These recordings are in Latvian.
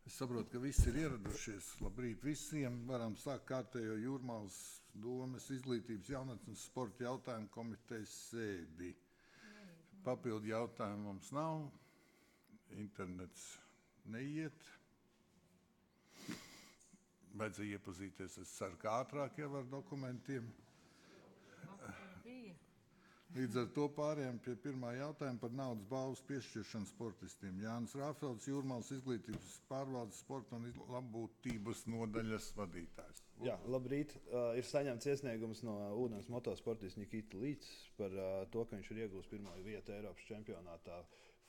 Es saprotu, ka visi ir ieradušies. Labrīt visiem. Varam sākt kārtējo Jūrmālas domes izglītības jaunatnes sporta jautājumu komitejas sēdi. Papildu jautājumu mums nav. Internets neiet. Vajadzēja iepazīties, es ceru, ka ātrāk jau ar dokumentiem. Līdz ar to pārējām pie pirmā jautājuma par naudas balvas piešķiršanu sportistiem. Jānis Rāfelds, Jūrmālas izglītības pārvaldes sporta un labbūtības nodaļas vadītājs. Jā, labrīt. Ir saņemts iesniegums no ūdens motosportista Nikita Līts par to, ka viņš ir iegūst pirmo vietu Eiropas čempionātā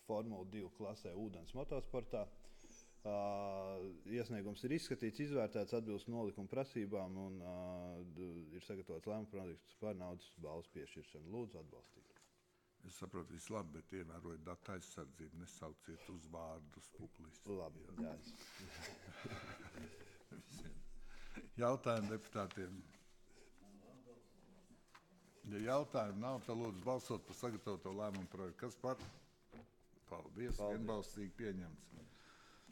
Formula 2 klasē ūdens motosportā. Iesniegums ir izskatīts, izvērtēts, atbilst nolikuma prasībām un ir sagatavots lēmuma projekts par naudas balvas piešķiršanu. Lūdzu, atbalstīt. Es saprotu, viss labi, bet ievērojiet datu aizsardzību, nesauciet uz vārdus publiski. Labi, jā. Jautājumu deputātiem. Ja jautājumu nav, tad lūdzu balsot par sagatavoto lēmumu projektu. Kas par? Paldies. Vienbalsīgi pieņemts.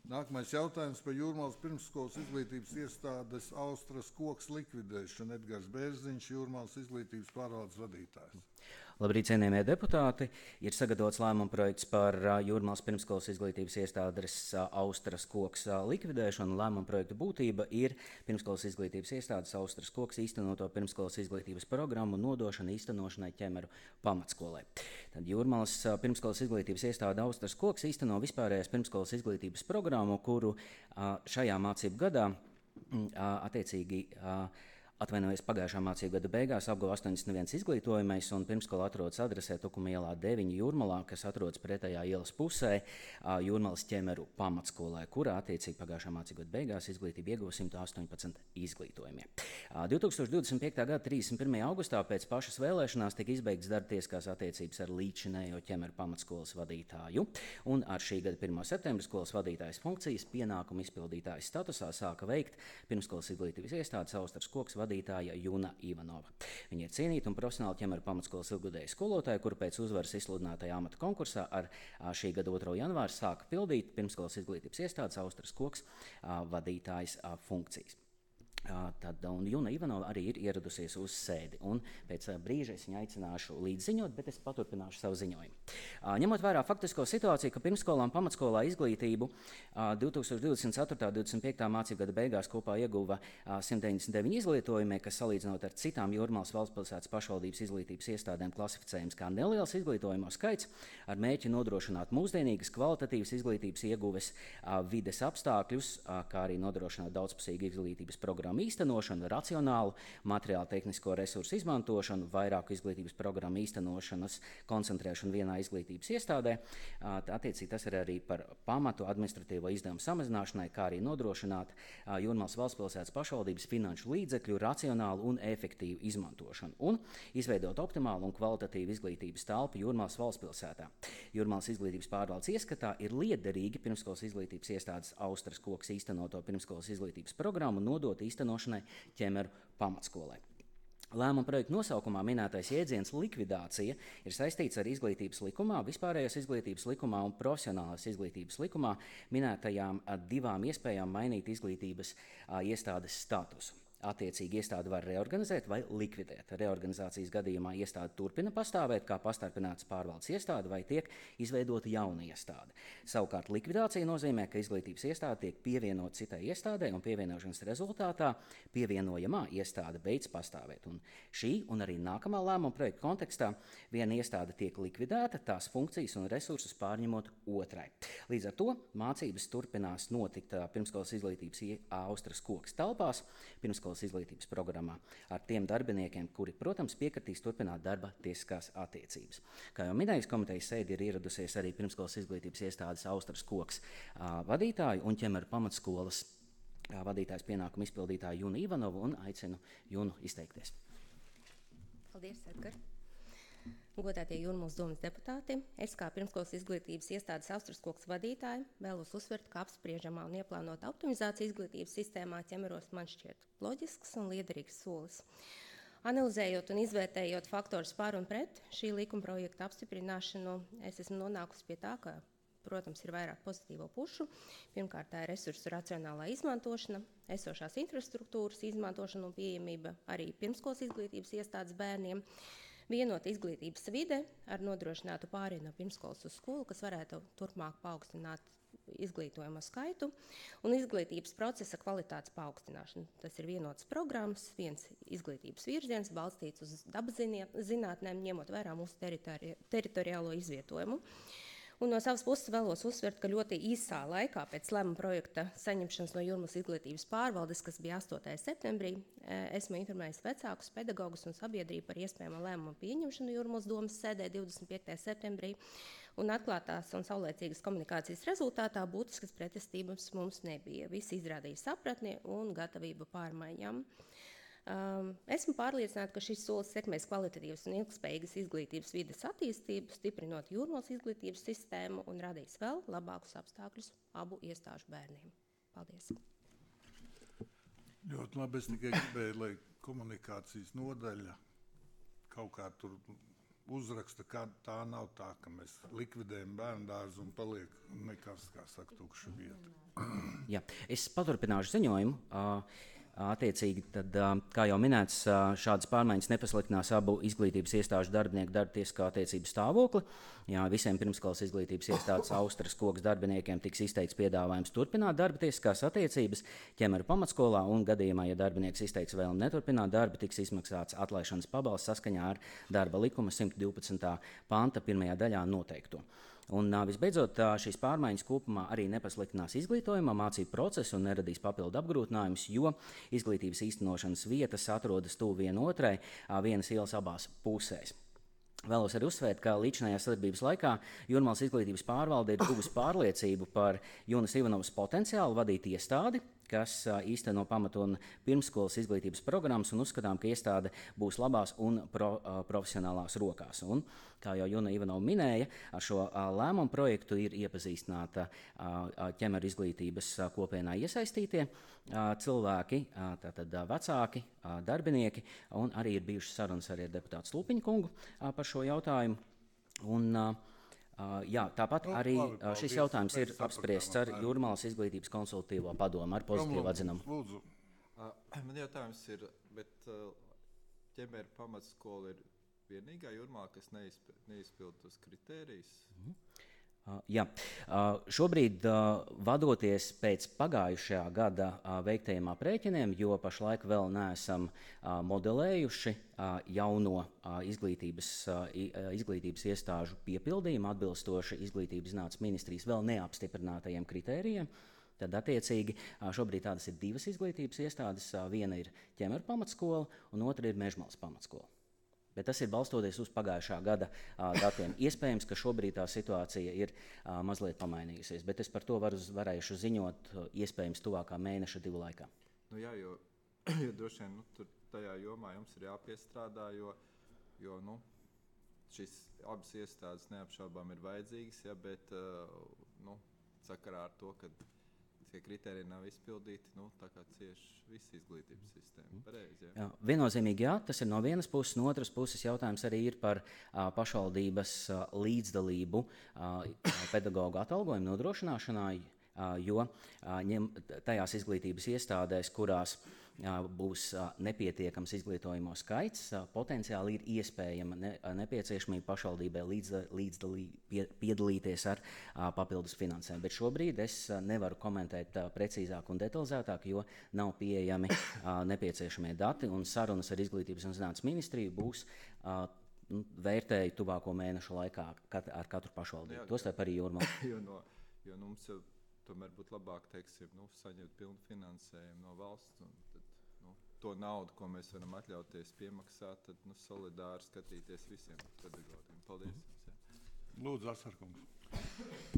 Nākamais jautājums par Jūrmālas pirmsskolas izglītības iestādes Austras koks likvidēšanu. Edgars Bērziņš, Jūrmālas izglītības pārvaldes vadītājs. Labrīt, cienījamie deputāti! Ir sagatavots lēmuma projekts par Jūrmālas pirmsskolas izglītības iestādes Austras koks likvidēšanu. Lēmuma projekta būtība ir pirmsskolas izglītības iestādes Austras koks īstenoto pirmsskolas izglītības programmu nodošana īstenošanai Ķemeru pamatskolai. Tad Jūrmālas pirmsskolas izglītības iestāde Austras koks īsteno vispārējās pirmsskolas izglītības programmu, kuru šajā mācību gadā attiecīgi atvainojas pagājušā mācību gada beigās apguva 81 izglītojamais un pirmskola atrodas adresē Tukuma ielā 9 Jūrmalā, kas atrodas pretējā ielas pusē Jūrmalas Ķemeru pamatskolē, kurā attiecīgi pagājušā mācību gada beigās izglītību ieguva 118 izglītojamie. 2025. gada 31. augustā pēc pašas vēlēšanās tika izbeigts darba tiesiskās attiecības ar līdzinējo Ķemeru pamatskolas vadītāju, un ar šī gada 1. septembra skolas vadītājas funkcijas pienākumu izpildītājas statusā sāka veikt pirmskolas izglītības iestādes Austras koks vadītāja Juna Ivanova. Viņa ir cienīta un profesionāla Ķemeru pamatskolas ilgadēja skolotāja, kura pēc uzvaras izsludinātajā amata konkursā ar šī gada 2. janvāru sāka pildīt pirmskolas izglītības iestādes Austras koks vadītājas funkcijas. Tad Juna Ivanova arī ir ieradusies uz sēdi, un pēc brīža es viņu aicināšu līdziņot, bet es paturpināšu savu ziņojumu. Ņemot vērā faktisko situāciju, ka pirmskolām pamatskolā izglītību 2024.–2025. mācību gada beigās kopā ieguva 199 izglītojumie, kas salīdzinot ar citām Jūrmālas valstspilsētas pašvaldības izglītības iestādēm klasificējums kā neliels izglītojumu skaits, ar mērķi nodrošināt mūsdienīgas kvalitatīvas izglītības ieguves vides apstākļus, kā arī nodrošināt daudzpusīgu izglītības programmu īstenošanu, racionālu materiālu tehnisko resursu izmantošanu, vairāku izglītības programmu īstenošanas koncentrēšanu vienā izglītības iestādē. Attiecīgi tas ir arī par pamatu administratīvo izdevumu samazināšanai, kā arī nodrošināt Jūrmālas valstspilsētas pašvaldības finanšu līdzekļu racionālu un efektīvu izmantošanu un izveidot optimālu un kvalitatīvu izglītības telpu Jūrmālas valstspilsētā. Jūrmālas izglītības pārvaldes ieskatā ir liederīgi pirmskolas izglītības iestādes Austras koks īstenoto pirmskolas izglītības programmu nodot īstenošanai Ķemeru pamatskolai. Lēmuma projekta nosaukumā minētais jēdziens likvidācija ir saistīts ar izglītības likumā, vispārējās izglītības likumā un profesionālās izglītības likumā minētajām divām iespējām mainīt izglītības iestādes statusu. Attiecīgi iestādi var reorganizēt vai likvidēt. Reorganizācijas gadījumā iestāde turpina pastāvēt kā pastarpinātas pārvaldes iestāde vai tiek izveidota jauna iestāde. Savukārt likvidācija nozīmē, ka izglītības iestāde tiek pievienota citai iestādē un pievienošanas rezultātā pievienojamā iestāde beidz pastāvēt. Un šī un arī nākamā lēmuma projekta kontekstā viena iestāde tiek likvidēta, tās funkcijas un resursus pārņemot otrai. Līdz ar to mācības turpinās notikt pirmskolas izglītības Austras koks telpās, pirmskolas izglītības programmā ar tiem darbiniekiem, kuri, protams, piekritīs turpināt darba tiesiskās attiecības. Kā jau minējis, komitejas sēdi ir ieradusies arī pirmskolas izglītības iestādes Austras koks vadītāju un Ķemeru pamatskolas vadītājs pienākumu izpildītāju Junu Ivanovu un aicinu Junu izteikties. Paldies, Edgar. Godātie Jūrmālas domes deputāti, es kā pirmskolas izglītības iestādes Austras koks vadītāja vēlos uzsvert, ka apspriežamā un ieplānota optimizācija izglītības sistēmā Ķemeros man šķiet loģisks un liederīgs solis. Analizējot un izvērtējot faktorus par un pret šī likuma projekta apstiprināšanu, es esmu nonākusi pie tā, ka protams, ir vairāk pozitīvo pušu. Pirmkārt, tā ir resursu racionālā izmantošana, esošās infrastruktūras izmantošana un pieejamība arī pirmskolas izglītības iestādes bērniem. Vienota izglītības vide ar nodrošinātu pārēju no pirmskolas uz skolu, kas varētu turpmāk paaugstināt izglītojamo skaitu, un izglītības procesa kvalitātes paaugstināšana. Tas ir vienotas programmas, viens izglītības virziens, balstīts uz dabas zinātnēm, ņemot vērā mūsu teritoriālo izvietojumu. Un no savas puses vēlos uzsvert, ka ļoti īsā laikā pēc lēmuma projekta saņemšanas no Jūrmalas izglītības pārvaldes, kas bija 8. septembrī, esmu informējis vecākus, pedagogus un sabiedrību par iespējamo lēmumu pieņemšanu Jūrmalas domas sēdē 25. septembrī. Un atklātās un saulēcīgas komunikācijas rezultātā būtiskas pretestības mums nebija. Visi izrādīja sapratni un gatavību pārmaiņām. Esmu pārliecināta, ka šis solis sekmēs kvalitatīvas un ilgspējīgas izglītības vides attīstību, stiprinot Jūrmalas izglītības sistēmu un radīs vēl labākus apstākļus abu iestāžu bērniem. Paldies! Ļoti labi, es tikai gribēju, lai komunikācijas nodaļa kaut kā tur uzraksta, ka tā nav tā, ka mēs likvidējam bērndārzu un paliek nekas, kā saka, tukša vieta. Jā, es paturpināšu ziņojumu. Attiecīgi, tad, kā jau minēts, šādas pārmaiņas nepasliktinās abu izglītības iestāžu darbinieku darbtiesiskā attiecību stāvokli. Jā, visiem pirmskolas izglītības iestādes Austras koks darbiniekiem tiks izteikts piedāvājums turpināt darba tiesiskās attiecības Ķemeru pamatskolā, un gadījumā, ja darbinieks izteiks vēlmi neturpināt darbu, tiks izmaksāts atlaišanas pabalsts saskaņā ar darba likuma 112. panta 1. daļā noteikto. Un visbeidzot, šīs pārmaiņas kopumā arī nepasliktinās izglītojuma mācību procesu un neradīs papildu apgrūtinājumus, jo izglītības īstenošanas vietas atrodas tuvu vienotrai, vienas ielas abās pusēs. Vēlos arī uzsvērt, ka līdzinājās sadarbības laikā Jūrmalas izglītības pārvalde ir guvusi pārliecību par Junas Ivanovas potenciālu vadīt iestādi, kas īsteno pamatu un pirmskolas izglītības programmas, un uzskatām, ka iestāde būs labās un profesionālās rokās. Un, kā jau Juna Ivanova minēja, ar šo lēmumu projektu ir iepazīstināta Ķemeru izglītības kopienā iesaistītie cilvēki, tātad vecāki, darbinieki, un arī ir bijušas sarunas arī ar deputātu Slupiņu kungu par šo jautājumu. Un, jā, tāpat arī šis jautājums ir apspriests ar Jūrmalas izglītības konsultatīvo padomu ar pozitīvu atzinumu. Lūdzu. Man jautājums ir, bet Ķemeru pamatskola ir vienīgā Jūrmalā, kas neizpild tos kritērijus? Jā, šobrīd vadoties pēc pagājušajā gada veiktajiem aprēķiniem, jo pašlaik vēl neesam modelējuši jauno izglītības iestāžu piepildījumu atbilstoši Izglītības zinātnes ministrijas vēl neapstiprinātajiem kritērijiem, tad attiecīgi šobrīd tādas ir divas izglītības iestādes. Viena ir Ķemeru pamatskola un otra ir Mežmalas pamatskola. Bet tas ir balstoties uz pagājušā gada datiem. Iespējams, ka šobrīd tā situācija ir mazliet pamainījusies, bet es par to varēšu ziņot iespējams tuvākā mēneša 2 laikā. Nu jā, jo droši vien tur tajā jomā jums ir jāpiestrādā, jo šīs abas iestādes neapšaubām ir vajadzīgas, ja, bet sakarā ar to, ka tie kritēriji nav izpildīti, tā kā cieši visa izglītības sistēma. Pareizi, jā, viennozīmīgi jā, tas ir no vienas puses, no otras puses jautājums arī ir par pašvaldības līdzdalību pedagoģu atalgojumu nodrošināšanā, jo tajās izglītības iestādēs, kurās būs nepietiekams izglītojamo skaits, potenciāli ir iespējama nepieciešamība pašvaldībai piedalīties ar papildus finansēm. Bet šobrīd es nevaru komentēt precīzāk un detalizētāk, jo nav pieejami nepieciešamie dati, un sarunas ar Izglītības un zinātnes ministriju būs vērtēji tuvāko mēnešu laikā ar katru pašvaldību. Tostarp arī Jūrmalā. Jo mums jau tomēr būtu labāk, saņemt pilnu finansējumu no valsts, un tad, to naudu, ko mēs varam atļauties piemaksāt, tad solidāri skatīties visiem pedagogiem. Paldies. Lūdzu, Asarkungs.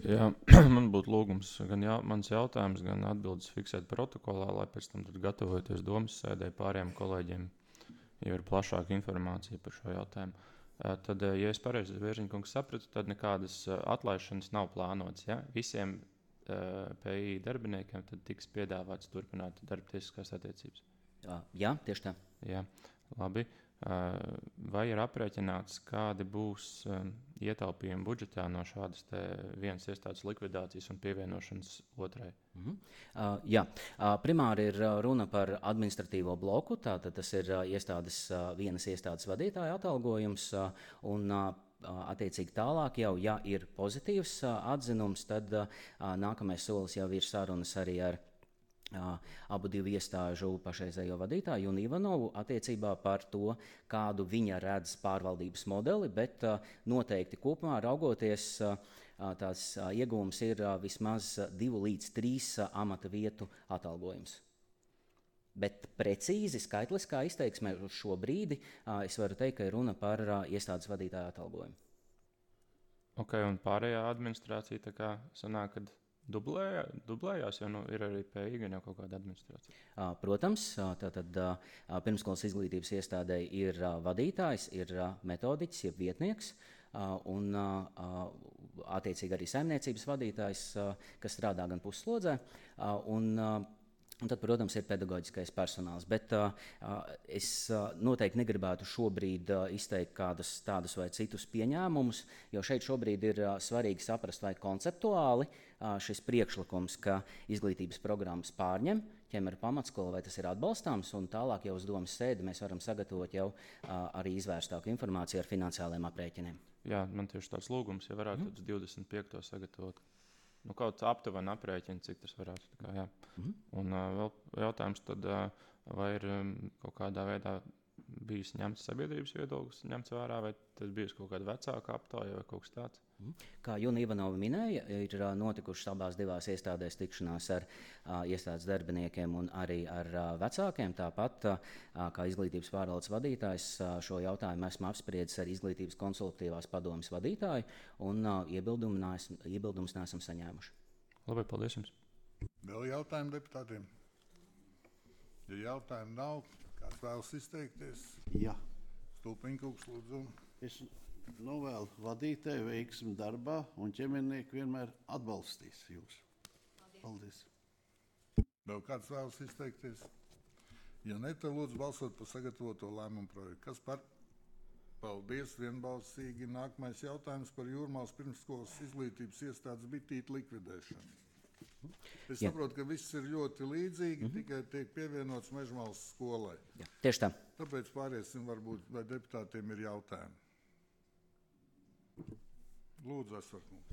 Jā, man būtu lūgums gan mans jautājums, gan atbildes fiksēt protokolā, lai pēc tam tad gatavojoties domas sēdē pārējiem kolēģiem, ja ir plašāka informācija par šo jautājumu. Tad, ja es pareizi Vērziņkungs sapratu, tad nekādas atlaišanas nav plānotas. Ja? Visiem PI darbiniekiem tad tiks piedāvāts turpināt darbtiesiskās attiecības. Jā, tieši tā. Jā, labi. Vai ir aprēķināts, kādi būs ietaupījumi budžetā no šādas vienas iestādes likvidācijas un pievienošanas otrai? Jā, primāri ir runa par administratīvo bloku. Tātad tas ir vienas iestādes vadītāja atalgojums. Attiecīgi tālāk, jau, ja ir pozitīvs atzinums, tad nākamais solis jau ir sarunas arī ar abu divu iestāžu pašreizējo vadītāju un Ivanovu attiecībā par to, kādu viņa redz pārvaldības modeli, bet noteikti kopumā raugoties, tās iegūms ir vismaz 2 līdz 3 amata vietu atalgojums. Bet precīzi skaitliskā izteiksmē uz šo brīdi es varu teikt, ka ir runa par iestādes vadītāju atalgojumu. Ok, un pārējā administrācija tā kā sanāk, kad dublējās, jo ir arī PI gan jau kaut kāda administrācija. Protams, tātad pirmsskolas izglītības iestādē ir vadītājs, ir metodiķis, jeb vietnieks, un attiecīgi arī saimniecības vadītājs, kas strādā gan pusslodzē, un tad, protams, ir pedagoģiskais personāls. Bet es noteikti negribētu šobrīd izteikt kādus tādus vai citus pieņēmumus, jo šeit šobrīd ir svarīgi saprast, vai konceptuāli šis priekšlikums, ka izglītības programmas pārņem ķemeru pamatskolu, vai tas ir atbalstāms, un tālāk jau uz domas sēdi mēs varam sagatavot jau arī izvērstāku informāciju ar finansiāliem aprēķiniem. Jā, man tieši tāds lūgums, ja varētu uz 25. sagatavot. Kaut aptuveni aprēķini, cik tas varētu. Tā kā, jā. Un vēl jautājums, tad, vai ir kaut kādā veidā bijis ņemts sabiedrības viedoklis, ņemts vērā, vai tas bijis kaut kāda vecāka aptāja vai kaut kas tāds? Kā Juna Ivanova minēja, ir notikušas abās divās iestādēs tikšanās ar iestādes darbiniekiem un arī ar vecākiem. Tāpat kā izglītības pārvaldes vadītājs šo jautājumu esmu apspriedis ar izglītības konsultatīvās padomes vadītāju un iebildumus neesam saņēmuši. Labi, paldies jums. Vēl jautājumu deputātiem? Ja jautājumu nav, kāds vēlas izteikties? Jā. Stulpiņkungs, lūdzu. Es novēlu vadītāju veiksmi darbā, un ķemernieki vienmēr atbalstīs jūs. Paldies. Vēl kāds vēlas izteikties? Ja ne, tad lūdzu balsot par sagatavoto lēmumu projektu. Kas par? Paldies, vienbalsīgi. Nākamais jautājums par Jūrmālas pirmsskolas izglītības iestādes bitīti likvidēšanu. Es saprotu, ka viss ir ļoti līdzīgi, tikai tiek pievienots Mežmalas skolai. Jā, tieši tā. Tāpēc pāriesim, varbūt, vai deputātiem ir jautājumi. Lūdzu, Asvarkungs.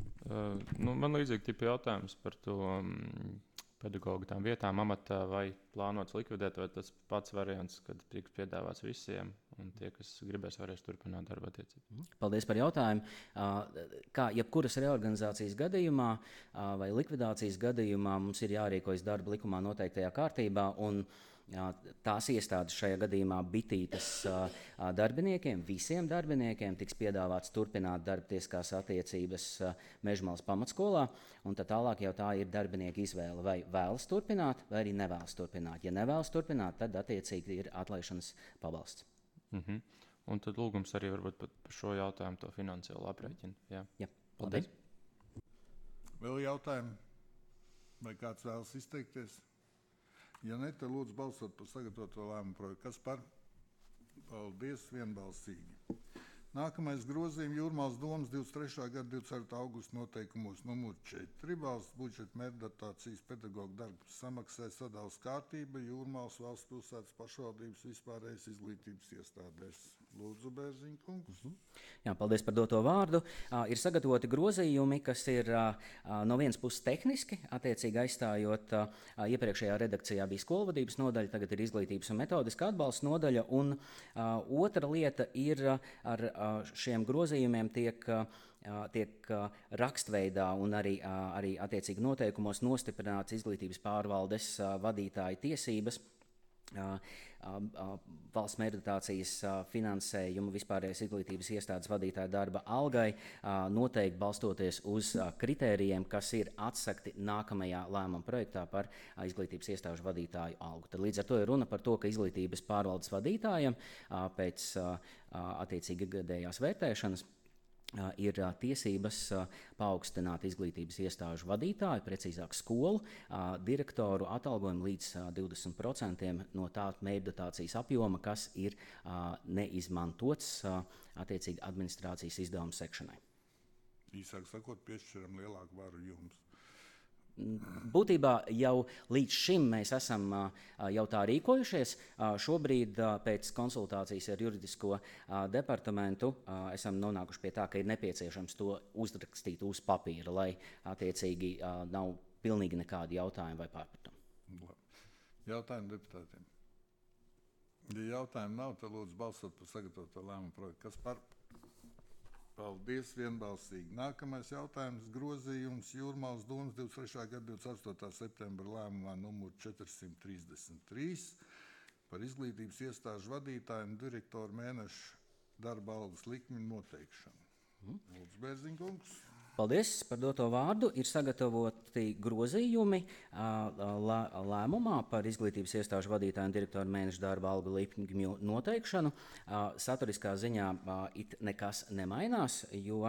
Man līdzīgi tipi jautājums par to pedagogu tām vietām amatā, vai plānots likvidēt, vai tas pats variants, kad tiks piedāvāts visiem, un tie, kas gribēs, varēs turpināt darba attiecību. Paldies par jautājumu. Kā jebkuras reorganizācijas gadījumā vai likvidācijas gadījumā mums ir jārīkojas darba likumā noteiktajā kārtībā, un tās iestādes šajā gadījumā bitītas darbiniekiem, visiem darbiniekiem tiks piedāvāts turpināt darbtieskās attiecības Mežmalas pamatskolā, un tad tālāk jau tā ir darbinieka izvēle, vai vēlas turpināt, vai arī nevēlas turpināt. Ja nevēlas turpināt, tad attiecīgi ir atlaišanas pabalsts. Un tad lūgums arī varbūt par šo jautājumu to finansiālo aprēķinu. Jā. Paldies. Vēl jautājumi? Vai kāds vēlas izteikties? Ja ne, tad lūdzu balsot par sagatavoto lēmumu projektu. Kas par? Paldies, vienbalsīgi. Nākamais grozījums Jūrmālas domas 23. gada 24. augusta noteikumos numur 4. Valsts budžeta mērķdotācijas pedagoģu darbu samaksai sadales kārtība Jūrmālas valsts pilsētas pašvaldības vispārējais izglītības iestādēs. Lūdzu, Bērziņa kungs. Jā, paldies par doto vārdu. Ir sagatavoti grozījumi, kas ir no vienas puses tehniski, attiecīgi aizstājot iepriekšējā redakcijā bija skolvadības nodaļa, tagad ir izglītības un metodiskā atbalsta nodaļa, un otra lieta ir ar šiem grozījumiem tiek rakstveidā un arī attiecīgi noteikumos nostiprināts izglītības pārvaldes vadītāja tiesības valsts mērķdotācijas finansējumu vispārējais izglītības iestādes vadītāja darba algai noteikti balstoties uz kritērijiem, kas ir atsakti nākamajā lēmuma projektā par izglītības iestāžu vadītāju algu. Tad līdz ar to ir runa par to, ka izglītības pārvaldes vadītājiem pēc attiecīgi gadējās vērtēšanas ir tiesības paaugstināt izglītības iestāžu vadītāju, precīzāk skolu direktoru atalgojumu līdz 20% no tā mērķdotācijas apjoma, kas ir neizmantots attiecīgi administrācijas izdevumu sekšanai. Īsāk sakot, piešķiram lielāku varu jums. Būtībā jau līdz šim mēs esam jau tā rīkojušies. Šobrīd pēc konsultācijas ar juridisko departamentu esam nonākuši pie tā, ka ir nepieciešams to uzrakstīt uz papīra, lai attiecīgi nav pilnīgi nekādi jautājumi vai pārpratumi. Jautājumi deputātiem. Ja jautājumu nav, tad lūdzu balsot par sagatavoto lēmumu projektu. Kas par? Paldies, vienbalsīgi. Nākamais jautājums - grozījums Jūrmālas domas 23. gada 28. septembra lēmumā numur 433 par izglītības iestāžu vadītāju un direktoru mēnešu darba algas likmi noteikšanu. Lūdzu, Bērziņkungs. Paldies par doto vārdu. Ir sagatavoti grozījumi lēmumā par izglītības iestāžu vadītāju un direktoru mēnešu darba algu likmju noteikšanu. Saturiskā ziņā it nekas nemainās, jo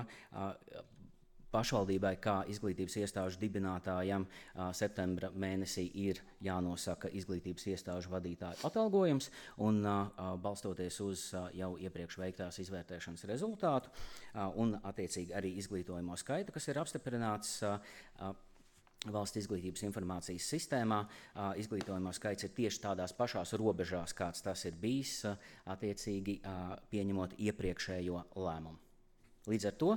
pašvaldībai kā izglītības iestāžu dibinātājam septembra mēnesī ir jānosaka izglītības iestāžu vadītāju atalgojums, un balstoties uz jau iepriekš veiktās izvērtēšanas rezultātu un attiecīgi arī izglītojamo skaitu, kas ir apstiprināts Valsts izglītības informācijas sistēmā, izglītojamo skaits ir tieši tādās pašās robežās, kāds tas ir bijis, attiecīgi pieņemot iepriekšējo lēmumu. Līdz ar to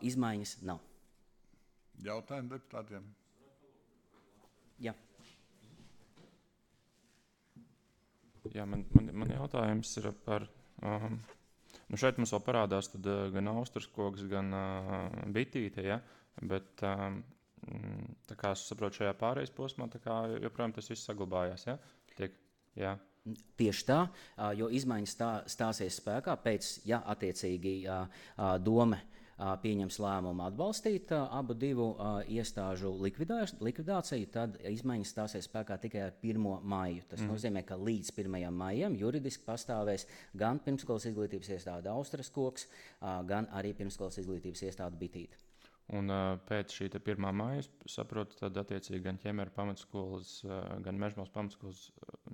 izmaiņas nav. Jautājumi deputātiem? Jā. Jā, man jautājums ir par... šeit mums vēl parādās tad, gan austrskoks, gan bitīte, ja? Bet tā kā es saprotu šajā pārejas posmā, tā kā joprojām tas viss saglabājās, ja? Jā. Tieši tā, jo izmaiņas stāsies spēkā pēc, ja attiecīgi dome pieņems lēmumu atbalstīt abu divu iestāžu likvidāciju, tad izmaiņas stāsies spēkā tikai ar 1. maiju. Tas nozīmē, ka līdz 1. maijam juridiski pastāvēs gan pirmskolas izglītības iestāde Austrskoks, gan arī pirmskolas izglītības iestāde Bitīte. Un pēc šī 1. māja, saprotu, tad attiecīgi gan Ķemera pamatskolas, gan Mežmales pamatskolas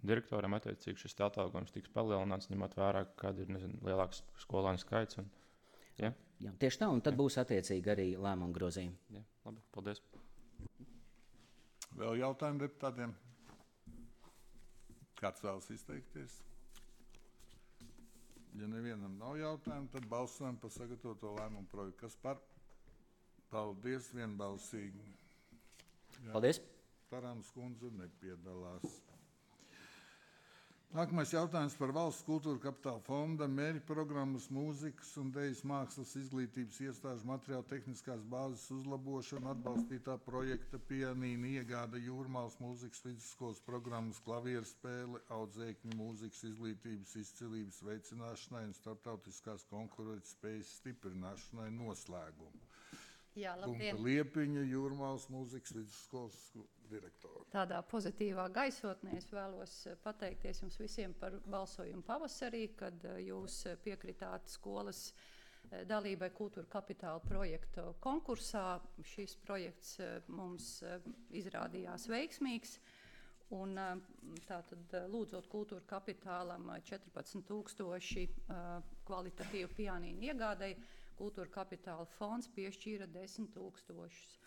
direktoram attiecīgi šis atalgojums tiks palielināts, ņemot vērā, kāda ir lielāks skolānu skaits. Ja? Jā, tieši tā, un tad būs attiecīgi arī lēmumu grozījumi. Jā, labi, paldies. Vēl jautājumi deputātiem? Kāds vēlas izteikties? Ja nevienam nav jautājumu, tad balsojam par sagatavoto lēmumu projektu. Kas par? Paldies, vienbalsīgi. Jā. Paldies. Tarānas kundze nepiedalās. Nākamais jautājums par Valsts kultūra kapitāla fonda mērķu programmas mūzikas un dejas mākslas izglītības iestāžu materiāla tehniskās bāzes uzlabošanu, atbalstītā projekta pianīna iegāda Jūrmālas mūzikas vidusskolas programmas klavieru spēle, audzēkņu mūzikas izglītības izcilības veicināšanai un starptautiskās konkurētspējas stiprināšanai noslēgumu. Jā, labdien. Liepiņa, Jūrmālas mūzikas vidusskolas direktora. Tādā pozitīvā gaisotnē es vēlos pateikties jums visiem par balsojumu pavasarī, kad jūs piekritāt skolas dalībai kultūra kapitāla projektu konkursā. Šis projekts mums izrādījās veiksmīgs. Un tātad lūdzot kultūra kapitālam 14,000 kvalitatīvu pianīnu iegādai, Kultūra kapitāla fonds piešķīra 10,000.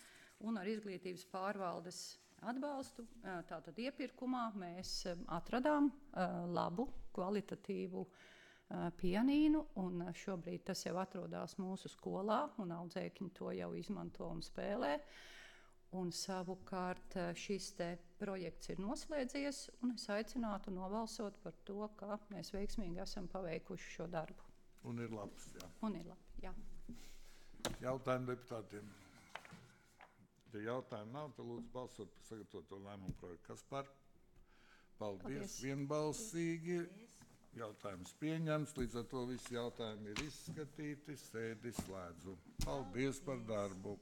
Un ar izglītības pārvaldes atbalstu, tātad iepirkumā, mēs atradām labu, kvalitatīvu pianīnu, un šobrīd tas jau atrodas mūsu skolā, un audzēkņi to jau izmanto un spēlē. Un savukārt šis te projekts ir noslēdzies, un es aicinātu nobalsot par to, ka mēs veiksmīgi esam paveikuši šo darbu. Un ir labs, jā. Un ir labi, jā. Jautājumi deputātiem. Ja jautājumu nav, tad lūdzu balsot par sagatavoto lēmumu projektu. Kas par? Paldies. Vienbalsīgi. Jautājums pieņemts, līdz ar to visi jautājumi ir izskatīti. Sēdi slēdzu. Paldies par darbu.